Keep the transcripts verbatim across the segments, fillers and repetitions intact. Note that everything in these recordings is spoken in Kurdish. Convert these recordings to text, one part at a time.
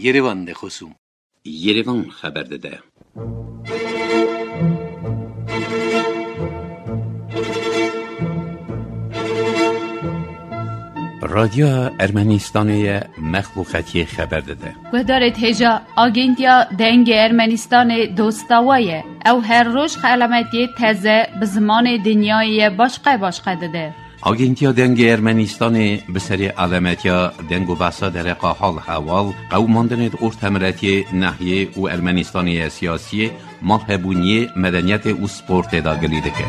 Yerevan de xwesûm. Yerevan xeber dide. Radyoya Ermenistanê ye, mexluqetiyê xeber dide. Guhdarêt hêja, Agentiya Dengê Ermenistanê dosta we ye. Ew her roj xelametiyê teze bi zimanê dinyayê ye başqe başqe dide. Agentiya Dengê Ermenistanê bi serê alemetiya deng û behsa dereqa hal hewal, qewimandinê di ortemiletiyê, nehiyê û Ermenistanê ye siyasiyê, malhebûniyê, medeniyetê û sportê de gilî dike.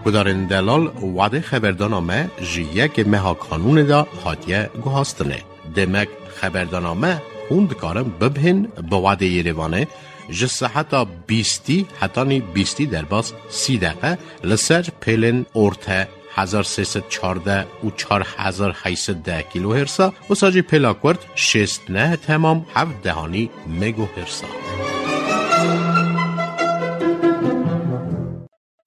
Gudarên delal, wadê xeberdana me ji yekê meha kanûnê de hatiye guhastinê. Demek xeberdana me hûn dikarin bibihên bi wadê Yerevanê ji seheta bîstî hetanî bîstî derbas sî deqe li ser pêlên orte hezar sê sed çardeh û çar hezar heyt sed deh kîlohersa, wisa jî pêla kurt şêst neh temam heft dehanî megohersa.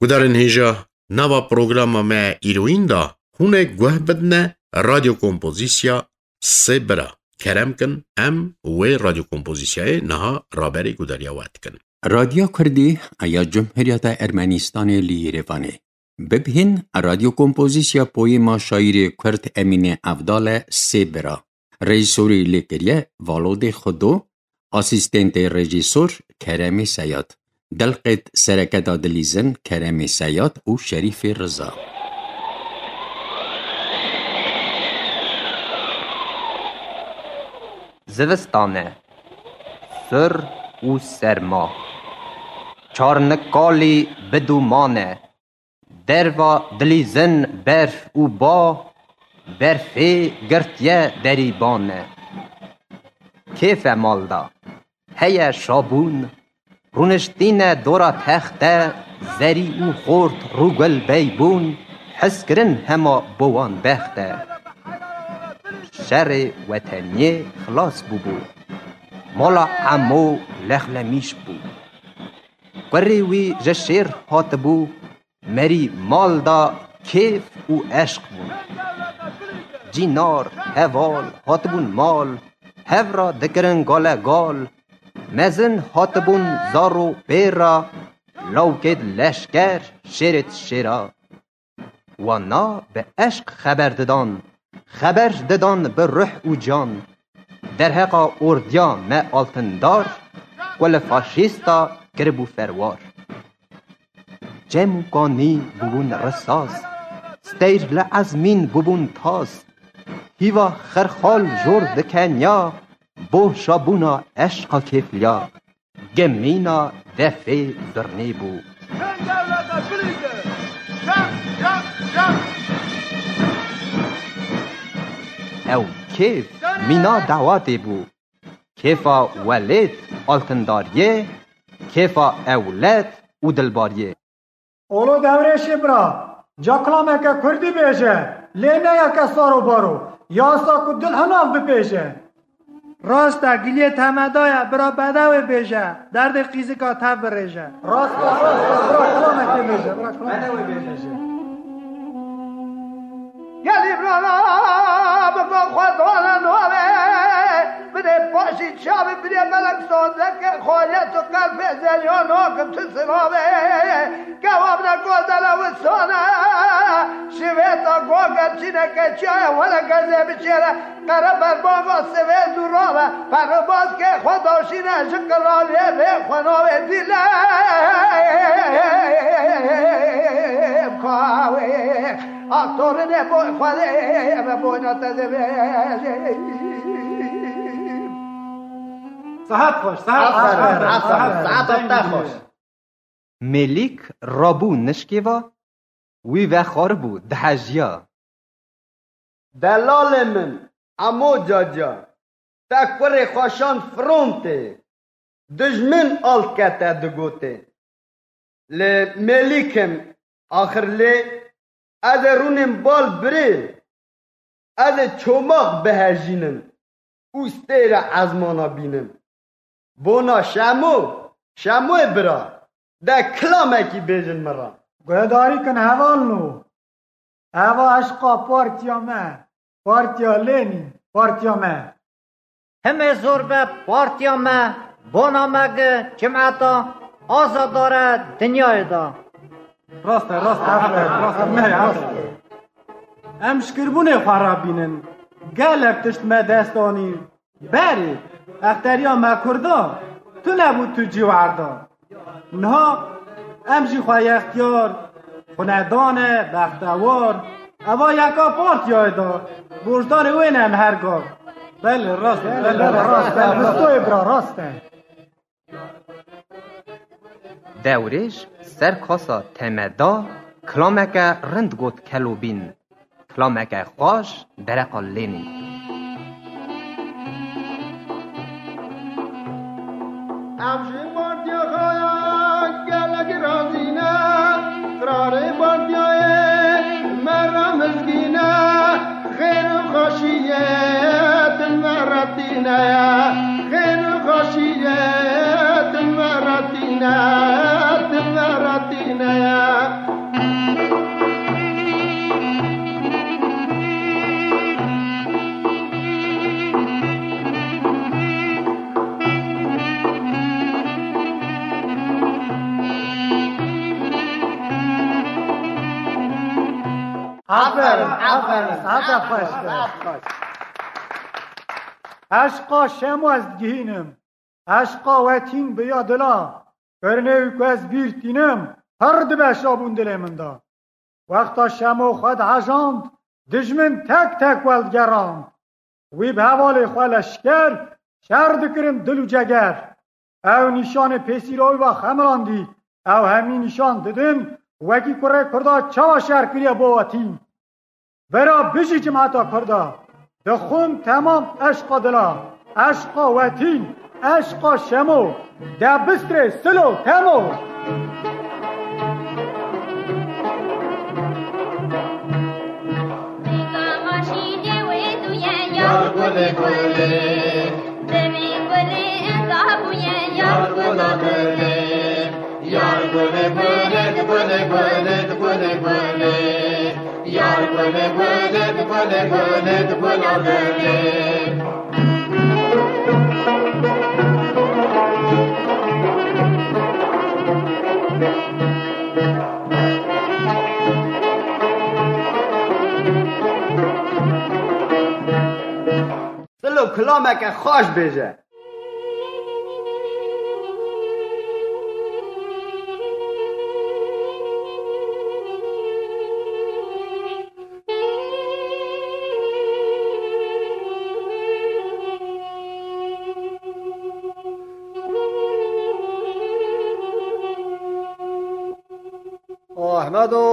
Gudarên hêja, nava programa me îroyîn de hûn ê guh bidine radyo kompozîsya Sê Bira. Kerem kin, em wê radyo kompozîsyayê niha raberê gudariya we dikin. Radyo Kurdî ya Cumhuriyeta Ermenistanê li Yerevanê. Bibihîn, radyo kompozîsya poyêma şaîrê Kurd Emînê Evdal e, Sê Bira. Rejîsorî lê kiriye Valodê Xudo, asîstentê rejîsor Keremê Seyad, delqêt sereke de dilîzin Keremê Seyad û Şerîfê Riza. Zivistan e, sir û serma, çarnikalî bi dûman e. Derva dilîzin berf û ba, berfê girtiye derî ban e. Kêf e mal da, heye şabûn, rûniştîne dora texte, zerî û xort rûgul beybûn, hizkirin hema bo wan bext e. Şerê weteniyê xilas bûbû, mala Emo lexlemîş bû. Kurê wî ji şêr hatibû, merî mal da kêf û eşq bûn. Cînar, heval hatibûn mal, hev ra dikirin gale gal. Mezin hatibûn zar û pêra, lawkêd leşker, şêrêd şêra. Wana bi eşq xeber didan, xeber didan bi ruh û can. Derheqa ordiya me altindar, ku li faşîsta kiribû ferwar. Cem û kanî bûbûn risas, steyr li ezmîn bûbûn tas. Hîva xirxal jor dikenya, bo şabûna eşqa kêfliya. Gemîna defê zirnê bû. Ew kêf mîna dawatê bû. Kêfa welêt altindariyê, kêfa ewled û dilbariyê. Olo Dewrêşê bira, ca kilameke kurdî bêje, lê ne yeke sar û baro, ya sa ku dil hinav bipêje. Rast e, giliyê temeda ye, bira bedewê bêje, derdê qîzika tev birêje. Rast e, rast e, bira kilamekê bêje, bira kilamekê bêje. Gelî bira, biko xwe dole navê, bidê paşî çavê, bidê melek sazeke, xaliyet û qelbê zelya nakin tu sinavê. Kewab ne gozele wisane, şivêta goge çîneke çaye, wele gezê biçêre, qere berbava sivê zûrave, peribazkê xwe daşîne ji qiralê vê xwe navê dîle. Kawê, aktorine boy xwedê, me boyna te divê. Sahat xweş, sahat xweş. Aferin, aferin, sahat te xweş. Mêlîk rabû nişkê va, wî vexwaribû, dihejiya. Delalê min, Emo Caca, te kurê xwe şand frontê, dijmin alt kete digotê. Lê Mêlîk im, axir lê ez ê rûnêm bal birê, ez ê çomaq bihejînim û stêre ezmana bînim. Bona Şemo, Şemoyê bira, de kilamekî bêjin min re. Guhdarî kin hevalno. Eva eşqa partiya me, partiya Lênîn, partiya me. himê zor be partiya me, bona me gi cimeta azadare dinyayê de. Rast e, rast e, rast e, rast e, rast e. Em şkirbûnê xwe re bînin. Gelek tişt me dest anî. Berê, exteriya me Kurda, tu nebû tu cî werda. Niha em jî xwe yextiyar, xwinedane, bextewar, eva yeka partiyayê da, borcdarê wê ne em her gav. Belê, rast e, belê, belê, rast e. Bistoyê bira, rast e. Dewrêj ser kasa temeda kilameke rind got kelobîn. Kilameke xweş dereqa lênî. Ev ji partiya xwe ya gelek razî ne, qirarê partiyayê me re mizgîn e, xêr û xweşiyê din me re tîne ye, xêr û xweşiyê din me re tîne, din me re tîne ye. Aferin, aferin, saete xweş be. Eşqa Şemo ez digihînim. Eşqa wetîn bi ya dila, qirnê wî ku ez bîr tînim, pir dibe şabûn dilê min de. Wexta Şemo xwe dihejand, dijmin tek tek weldigerand. Wî bi hevalê xwe leşker şer dikirin dil û ceger. Ew nîşanê pêsîra wî va xemilandî, ew hemî nîşan didin, wekî kurê Kurda çawa şer kiriye bo wetîn. Bera bijî cimeta Kurda. Dixwim temam eşqa dila. Eşqa wetîn. Eşqa Şemo. De bistrê silo temo. Yar gulê gulê, demê gulê eza bûye, yar gula gulê. Yar gulê gulê, di gulê gulê, di gulê gulê. Yar gulê gulê, di gulê gulê, di gula gulê. Silo kilameke xweş bêje. Ahmedo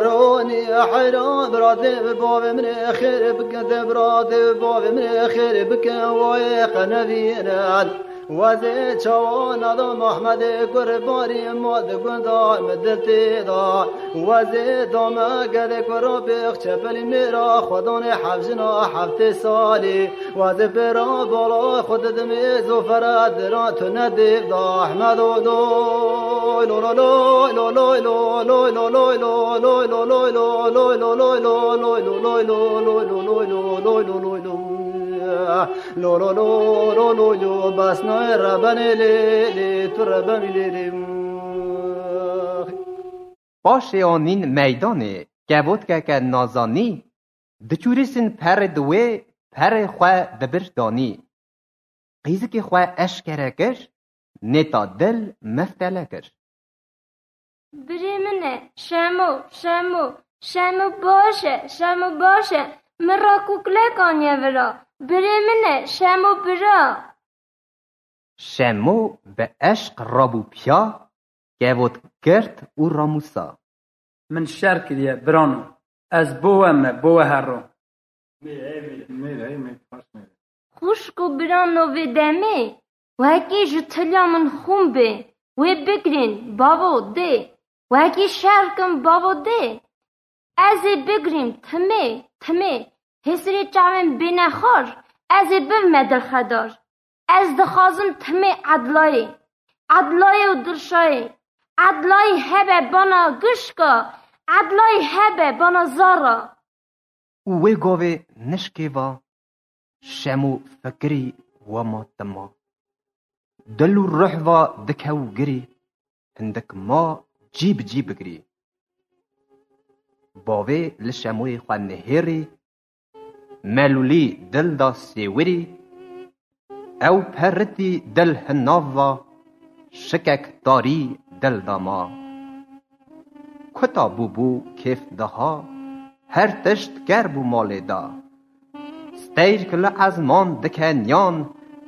Ronî heyran, bira dev bavê min ê xêr bike, dev bira dev bavê min ê xêr bike, wayê qe nevînin. Wezê çawa nadam Ahmedê gur barî ma di gunda min dil tê da. Wezê dame gedê ku rabêx çepelî mêra xwedanê hevjina heftê salî. Wazê pêra bala xwe didimê zofere dira tu ne dêv da Ehmedo loy lo lo loy lo loy lo loy lo loy lo loy lo loy lo loy lo loy lo loy lo loy lo loy lo loy lo loy lo loy lo loy lo loy lo loy lo bes nayê rebenê lê lê tu rebenî lê lê. Paşê anîn meydanê kevotkeke nazanî, diçûrîsin perê di wê perê xwe dibir danî. Qîzikê xwe eşkere kir, nêta dil meftele kir. Birê min e, Şemo, Şemo, Şemo baş e, Şemo baş e, min ra kuklek aniye vira. Birê min e, Şemo bira. Şemo bi eşq rabû piya, kevot girt û ramûsa. Min şer kiriye, birano. Ez bo we me, bo we herro. Mêr, ey mêr. Mêr, ey mêr, xweş mêr. Xwişk û birano vê demê, wekî ji tiliya min xûn bê, wê bigirîn, bavo, dê. Wekî şer kim, bavo, dê. Ez ê bigirîm, timê, timê. Hêsirê çavên bêne xar, ez ê bibime dilxedar. Ez dixwazim timê edlayê. Edlayê û dirşayê. Edlayî hebe bana gişka, edlayî hebe bana zara. û wê gavê nişkê va Şemo fikirî wema tima. Dil û ruh va dikew girî, hindik ma cî bi cî bigirî. Bavê li Şemoyê xwe nihêrî, melûlî dil da sêwirî, ew peritî dil hinav va, şikek tarî dil da ma. Kuta bûbû kêf diha, her tişt ker bû malê da. Steyr ki li ezman dike niyan,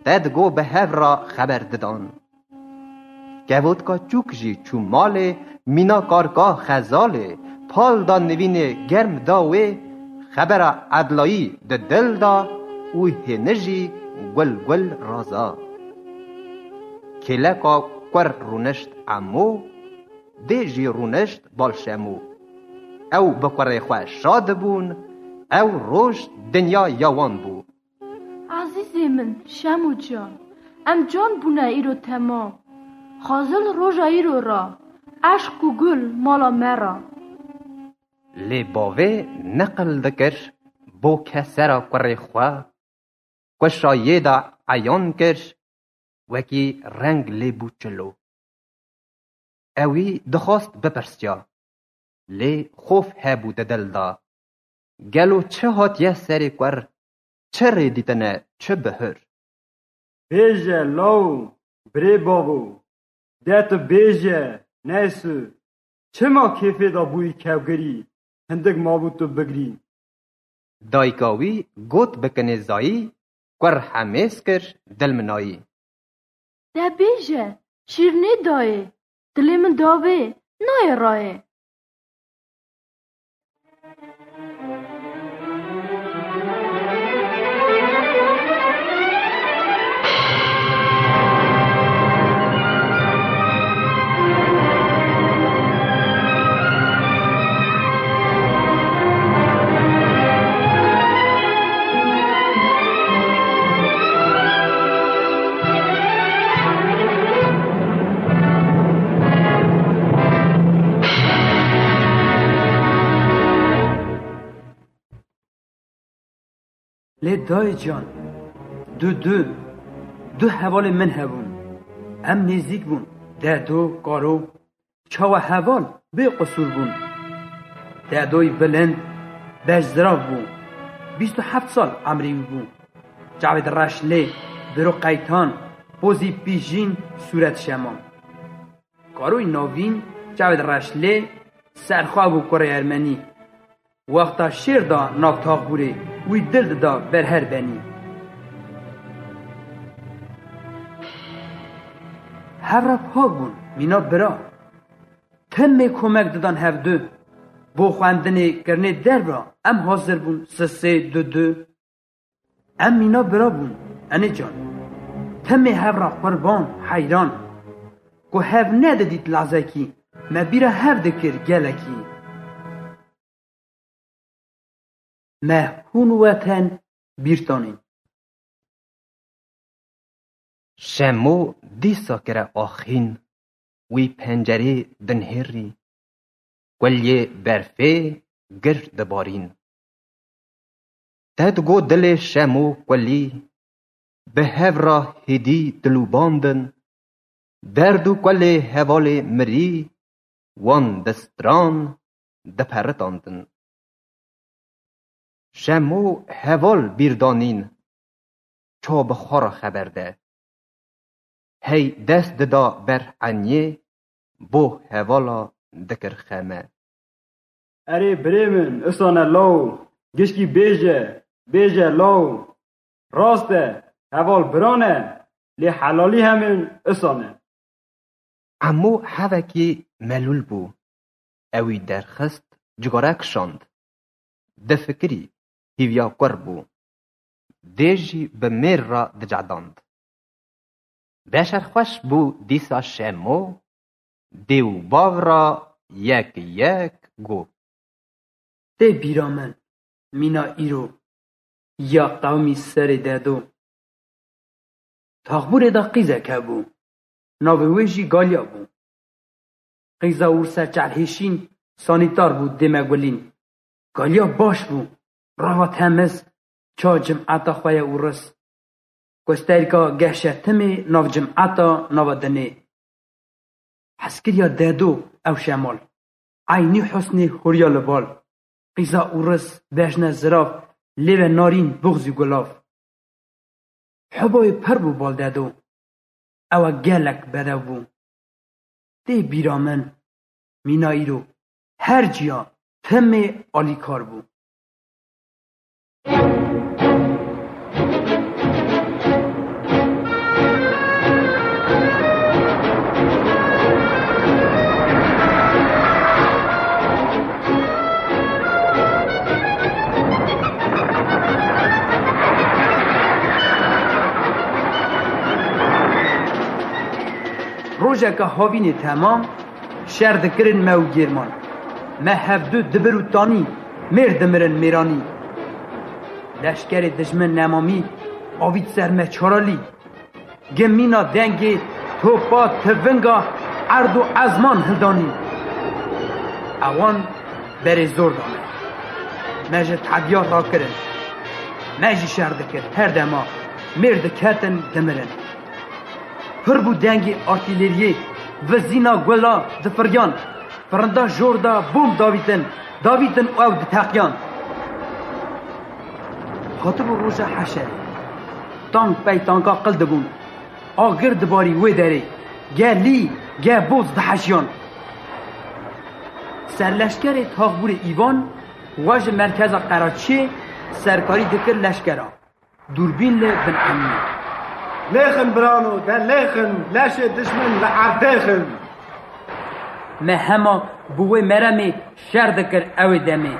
te digo bi hev ra xeber didan. Kevotka çûk jî çû malê, mîna karka xezalê, pal da nivînê germ da wê, xebera edlayî di dil da û hêni jî gul gul raza. Kêleka kur rûnişt Emo, dê jî rûnişt bal Şemo. Ew bi kurê xwe şa dibûn, ew roj dinya ya wan bû. Ezîzê min, Şemo can, em can bûne îro temam. Xazil roja îro ra, eşq û gul mala me ra. Lê bavê neqil dikir, bo kesera kurê xwe, ku şayê de eyan kir, wekî reng lê bû çilo. Ewî dixwast bipirsiya, lê xof hebû di dil de. Gelo çi hatiye serê kur, çi rê dîtine, çi bihur? Bêje law, birê bavo, de tu bêje, neysu, çima kêfê de bûyî kewgirî, hindik mabû tu bigirî? Dayika wî got bi kinêzayî, kur hemêz kir, dilminayî. De bêje, şîrnê dayê, dilê min davê, nayê rayê. Lê dayê can, du du, du hevalê min hebûn. Em nêzîk bûn. Dedo, Karo, çawa heval bê qusûr bûn. Dedoyî bilind, beşzirav bû. Bîst û heft sal emrê wî bû. Çavê di reş lê, biro qeytan, pozî pîjîn, sûret şeman. Karoyî navîn, çavê di reş lê, serxwe bû kurê ermenî. Wexta şêr da nav taxbûrê, wî dil dida ber her benî. Hev re pak bûn, mîna bira. Timê komek didan hevdu. Bo xwendinê kirinê derv ra em hazir bûn, sisê, dudu. Em mîna bira bûn, enê can. Timê hev re qurban, heyran. Ku hev nedidît lezekî, me bîra hev dikir gelekî. Me hûn weten bîr tanîn. Şemo dîsa kire axîn, wî pencerê dinhêrî, kuliyê berfê gir dibarîn. Te digo dilê Şemo kulî, bi hev ra hêdî dilûbandin, derd û kulê hevalê mirî, wan distran diperitandin. Şemo heval bîr danîn, ça bi xwe re xeber de. Hey dest dida ber enyê, bo hevala dikir xeme. Erê birê min, isane law, gişkî bêje, bêje law. Rast e, heval biran e, lê helalî hemin isane. Emo hevekî melûl bû. Ewî derxist, cigare kişand. Difikirî, hîviya kur bû. Dê jî bi mêr re dicedand. Beşerxweş bû dîsa Şemo, dê û bav re yek yek got. Tê bîra min, mîna îro, ya qewmî serê dedo. Taxbûrê de qîzek hebû. Navê wê jî Galya bû. Qîza wir ser çelhêşîn, sanîtar bû, dê me gulîn. Galya baş bû. Rava temiz, ça cimeta xwe ye û ris. Gösterîka geşetimê nav cimeta nava dinê. Heskiriya dedo ew şemal. Eynî husnê huriya li bal. Qîza û ris, bejne zirav, lêve narîn, buxzî gulav. Hubayê pir bû bal dedo. Ew e gelek bedew bû. Tê bîra min, mîna îro her ciya timê alîkar bû. Rojeke havînê temam, şer dikirin me û Gêrman. Me hevdu dibir û tanî, mêr dimirin mêranî. Leşkerê dijmin nemamî, avît ser me çaralî. Gimîna dengê topa tivinga erd û ezman hildanî. Ewan berê zor da me. Me ji tebiya rakirin. Me jî şer dikir her dema mêr diketin dimirin. Pir bû dengê artîleriyê, vizîna gula difiriyan. Firinda jor da bom davîtin, davîtin û ew diteqiyan. Hatibû roja heşerê. Tank pey tanka qil dibûn. Agir dibarî wê derê. Gelî, ge boz diheşiyan. Serleşkerê Taxbûrê Îvan wa ji merkeza Qeraçiyê serkarî dikir leşkera. Dûrbîn li bin emnî. Lêxin birano, de lêxin, leşê dijmin li erdê xin. Me hema bi wê meremê şer dikir ewê demê.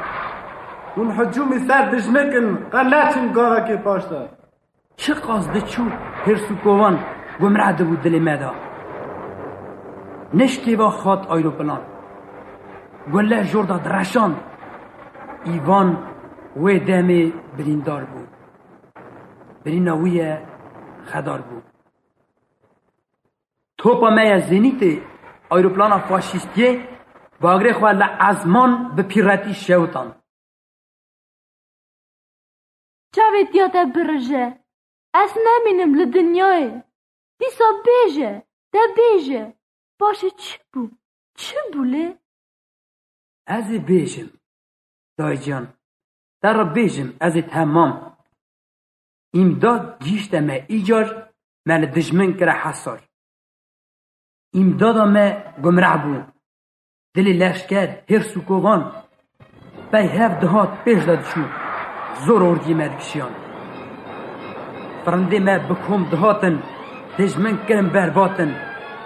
Hûn hicûmî ser dijmikin, qe neçin gavekê paş de. Çiqas diçû hêrs û kovan gumre dibû dilê me de. Nişkê ve xat ayroplan. Gule jor da direşand. Îvan wê demê birîndar bû. Birîna wî ye xedar bû. Topa me ya Zenîtê, ayroplana faşîstiyê, bagrê xwe li ezman bi pîretî şewitand. Çavê tiya te birije. Ez nemînim li dinyayê. Dîsa bêje, te bêje. Paşê çi bû? Çi bû lê? Ez ê bêjim, daycan. Te re bêjim, ez ê temam. Îmdad gihîşte me îcar, me li dijmin kire hesar. Îmdada me gumreh bû. Dilê leşker, hêrs û kovan pey hev dihat pêş de diçû. Zor ordiyê me dikişiyan. Firindê me bi kom dihatin, dijmin kirin berbatin.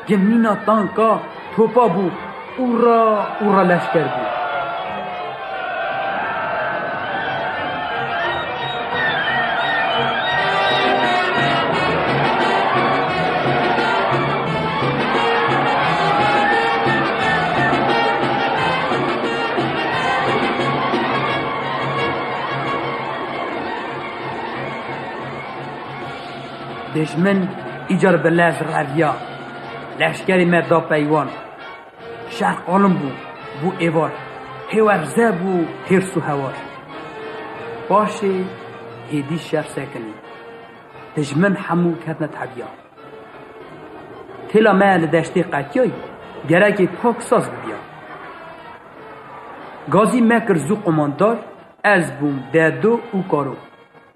Gimîna tanka topa bû. Ûra ûra leşker bû. Dijmin îcar bi lez reviya. Leşkerê me da peywan. Şer qalim bû, bû êvar. Hêwerze bû hêrs û hewar. Paşê hêdî şer sekinî. Dijmin hemû ketine tebiya. Têla me li deştê qetiyayî, gerekê pak saz bibiya. Gazî me kir zû qumandar, ez bûm dedo û karo.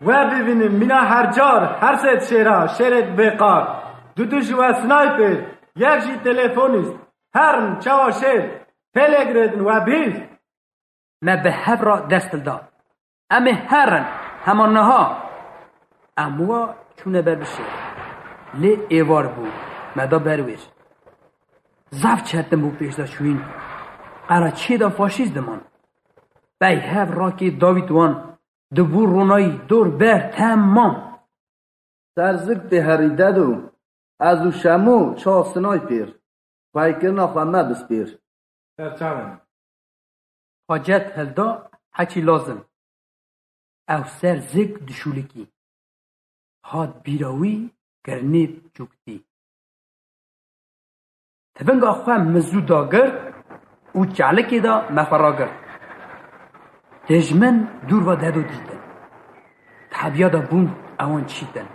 We bivînin mîna her car, her sê şêra, şêrê bêqar. Du du ji we snayper, yek jî telefonîst. Herm, çawa şêr, pêlê girêdin we bîst. Me bi hev re dest hilda. Em ê herin, hema niha. Em wa çûne ber bi şêr. Lê êvar bû, me da ber wêr. Zaf çetin bû pêş de çûyîn. Qeraçiyê de faşîst diman. Pey hev rakê dawît wan. Dibû ronayî dor ber temam. Ser zik tê herî dedo. Ez û Şemo ça snaypêr. Peykirina xwe me bispêr. Serçavin. Hacet hilda heçî lazim. Ew ser zik dişûlikî. Hat bîra wî kirinê çûktî. Tivinga xwe min zû dagirt û çalikê de me xwe ragirt. Dijmin dûr ve Dedo dîtin. Tebiya de bûn ewan çîtin.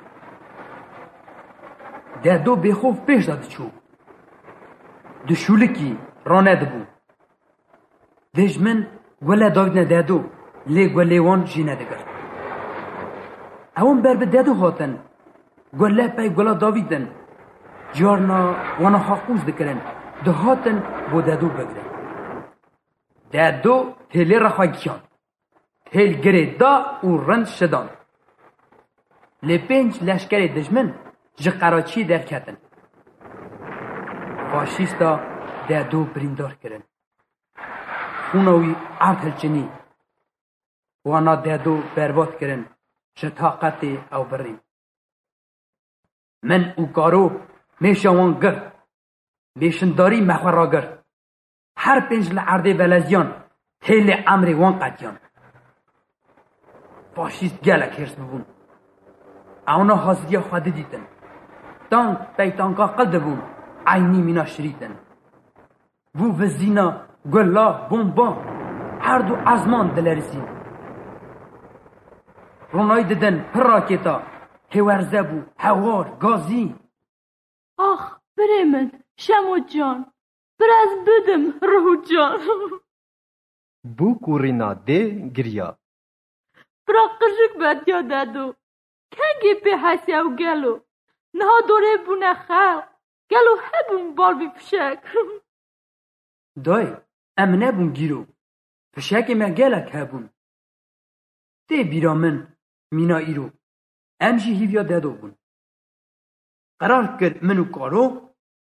Dedo bêxof pêş de diçû. Di şûlikî ranedibû. Dijmin gule davîtine Dedo, lê gulê wan jê nedigirt. Ewan ber bi Dedo hatin. Gule pey gula davîtin. Carna wana xwe qûz dikirin. Dihatin bo Dedo bigirin. Dedo hêlê re xwe gihand. Hêl girê da û rind şidan. Lê pênc leşkerê dijmin ji Qeraçiyê derketin. Faşîsta Dedo birîndar kirin. Xûna wî erd hilçinî. Wana Dedo berbat kirin, ji taqetê ew birîn. Min û Karo mêşa wan girt. Mêşindarî me xwe ragirt. Her pênc li erdê veleziyan, hêlê emrê wan qetiyan. Faşîst gelek hêrs bibûn. Ewna haziriya xwe didîtin. Tank pey tanka qil dibûn, eynî mîna şirîtin. Bû vizîna gula, bomba, erd û ezman dilerizîn. Ronayî didin pir rakêta, hêwerze bû, hewar, gazî. Ax, birê min, Şemo can, bir ez bidim ruh û can. Bû kurîna dê giriya. Bira qirjik betiya Dedo. Kengê pê hesiya û gelo? Niha dorê bûne xelq. Gelo hebûn bal vî fişek? Dayê, em nebûn gîro. Fişekê me gelek hebûn. Tê bîra min mîna îro. Em jî hîviya Dedo bûn. Qerar kir min û Karo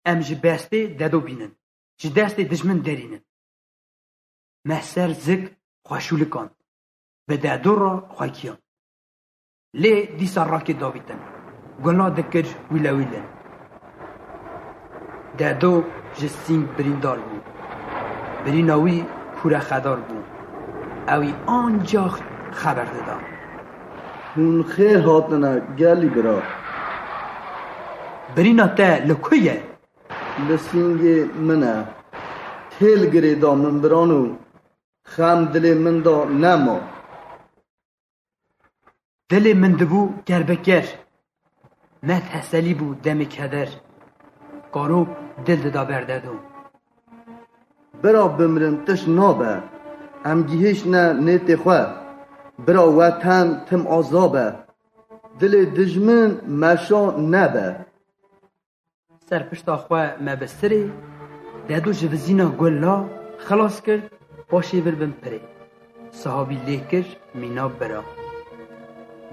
em ji bestê Dedo bînin. Ji destê dijmin derînin. Me ser zik xwe şûlikand. Bi Dedo re xwe kiyand. Lê dîsa rakê davîtin. Gula dikir wîlewîlin. Dedo ji sîng birîndar bû. Birîna wî kûre xedar bû. Ewî ancax xeber dida. Hûn xêr hatine gelî bira. Birîna te li ku ye? Li sîngê min e. Têl girê da min birano. Xem dilê min da nema. Dilê min dibû kerbeker. Me teselî bû demê keder. Karo dil dida ber Dedo. Bira bimrin tişt nabe. Em gihiştine nêtê xwe. Bira weten tim aza be. Dilê dijmin meşa nebe. Ser pişta xwe me bi sirê, Dedo ji vizîna gula xilas kir, paşê vir bin pirê. Sihabî lê kir mîna bira.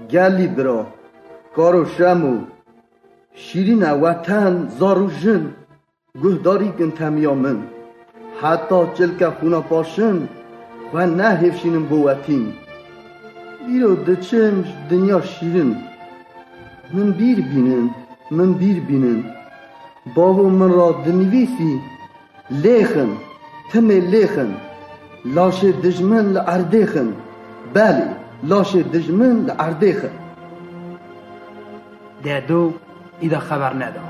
Gelî bira, Karo Şemo, şîrîn e weten, zar û jin, guhdarî kin temiya min. Heta çilke xûna paşin, xwe nehêfşînin bo wetîn. Îro diçim ji dinya şîrin. Min bîr bînin, min bîr bînin. Bavo min ra dinivîsî, lêxin, timê lêxin. Laşê dijmin li erdê xin. Belê, laşê dijmin li erdê xin. Dedo îda xeber neda.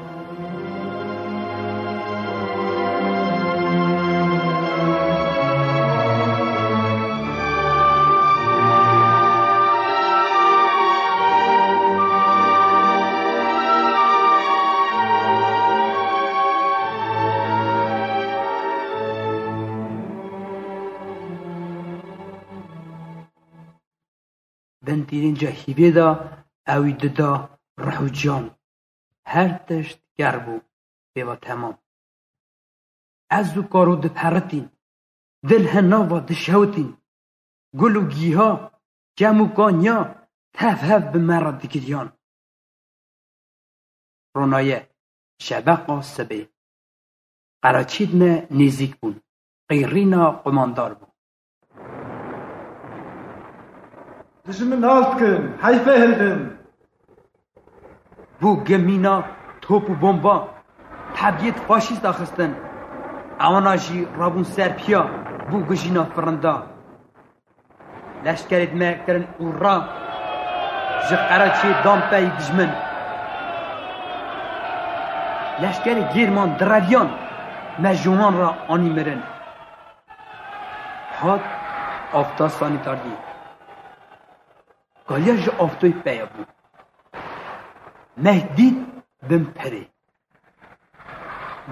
Bin tîrînca hîvê de ewî dida rih û can. Her tişt ger bû, pê ve temam. Ez û Karo diperitîn, dil hinav ve dişewitîn. Gul û gîha, çem û kanya tev hev bi me re digiriyan. Ronaye, şebeqa sibê. Qeraçîd me nêzîk bûn. Qîrîna qumandar bû. Dijmin nas dikin, heyfê hildin. Bû gimîna top û bomba. Tebiyêt faşîst axistin. Ewana jî rabûn ser piya, bû gujîna firinda. Leşkerêt me kirin ûra, ji Qereçiyê dan pey dijmin. Leşkerê Gêrman direviyan, me ji wan re anî mirin. Hat Afta sanîtardî. Kaliya ji aftoyê peya bû. Meh dît bin perê.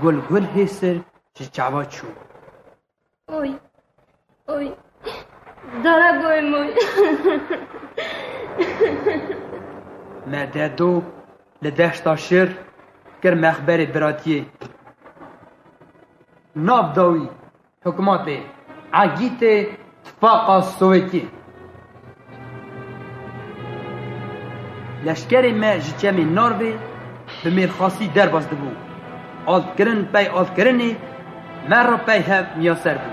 Gul gul hêsir ji çava çû. Oy, oy, dara goyê min. Me dedo li deşta şir kir mexberê biratiyê. Nav dawî hikûmetê egîtê Tifaqa Sowetî. Leşkerê me ji çemê Narvê bi mêrxasî derbas dibû. Altkirin pey altkirinê me re pey hev miyaser bû.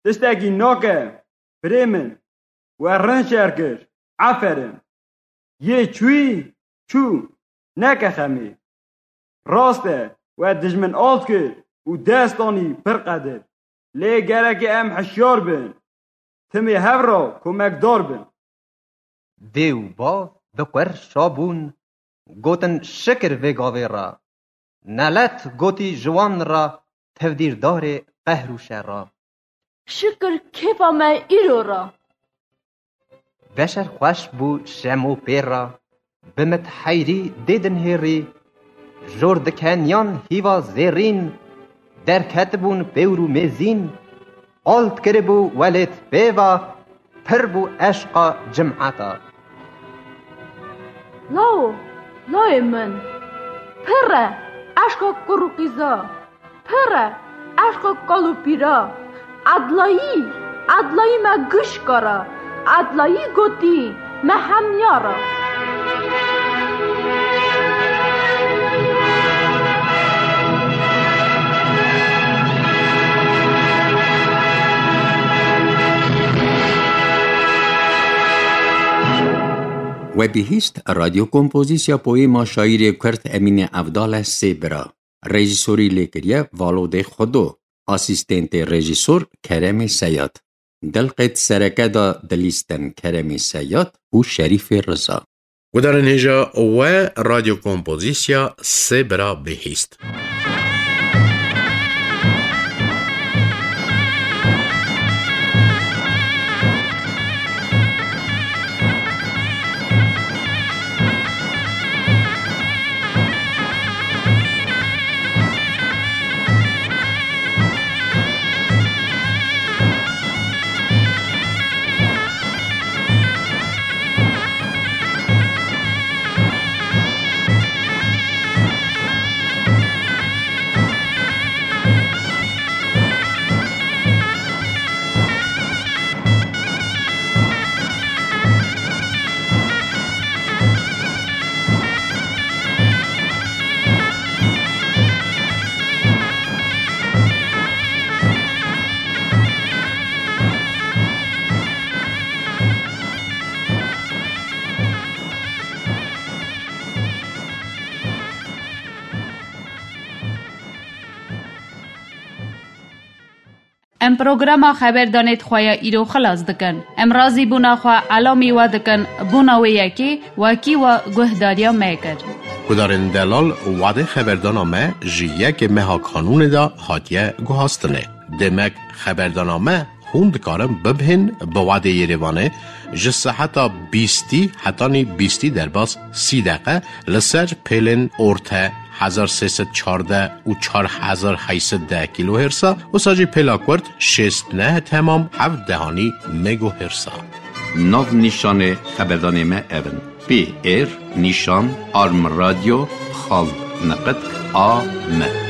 Tiştekî nake, birê min, we rind şer kir, aferin. Yê çûyî çû, neke xemê. Rast e, we dijmin alt kir û dest anî pir qedir. Lê gereke em hişyar bin. Timê hev re komekdar bin. Dê û bav bi qwer şa bûn, gotin şikir vê gavê re. Nelet gotî ji wan re tevdîrdarê qehr û şer re. Şikir kêfa me îro re. Beşer xweş bû şem û pê re, bi mit heyrî dê dinhêrî. Jor dikeniyan hîva zêrîn, derketibûn pêwr û mêzîn. Alt kiribû welêt pêva, pir bû eşqa cimeta. Lawo, lawê min, pir e eşqa kur û qîza. Pir e eşqa kal û pîra. Edlayî, edlayî me giş kara. Edlayî gotî me hemya ra. We bihîst, radyo kompozîsya poyêma şaîrê Kurd Emînê Evdal e, Sê Bira. Rejîsorî lê kiriye Valodê Xwedo, asîstentê rejîsor Keremê Seyad. Di lqêt sereke de dilîstin Keremê Seyad û Şerîfê Riza. Gudarên hêja we radyo kompozîsya Sê Bira bihîst. Em programa xeberdanê di xwe ya îro xilas dikin. Em razîbûna xwe elamî we dikin, bona wê yekê wekî we guhdariya me kir. Gudarên delal, wadê xeberdana me ji yekê meha Kanûnê de hatiye guhastinê. Demek xeberdana me hûn dikarin bibihên bi wadê Yerêvanê ji seheta bîstî hetanî bîstî derbas sî deqe li ser pêlên orte hezar sê sed çardeh û çar hezar heyt sed deh kîlohêrsa, wisa jî pêla kurt şêst neh temam heft dehanî megohêrsa. Nav nîşanê xeberdanê me ev in: P R nîşan arm radyo xal niqitk a m.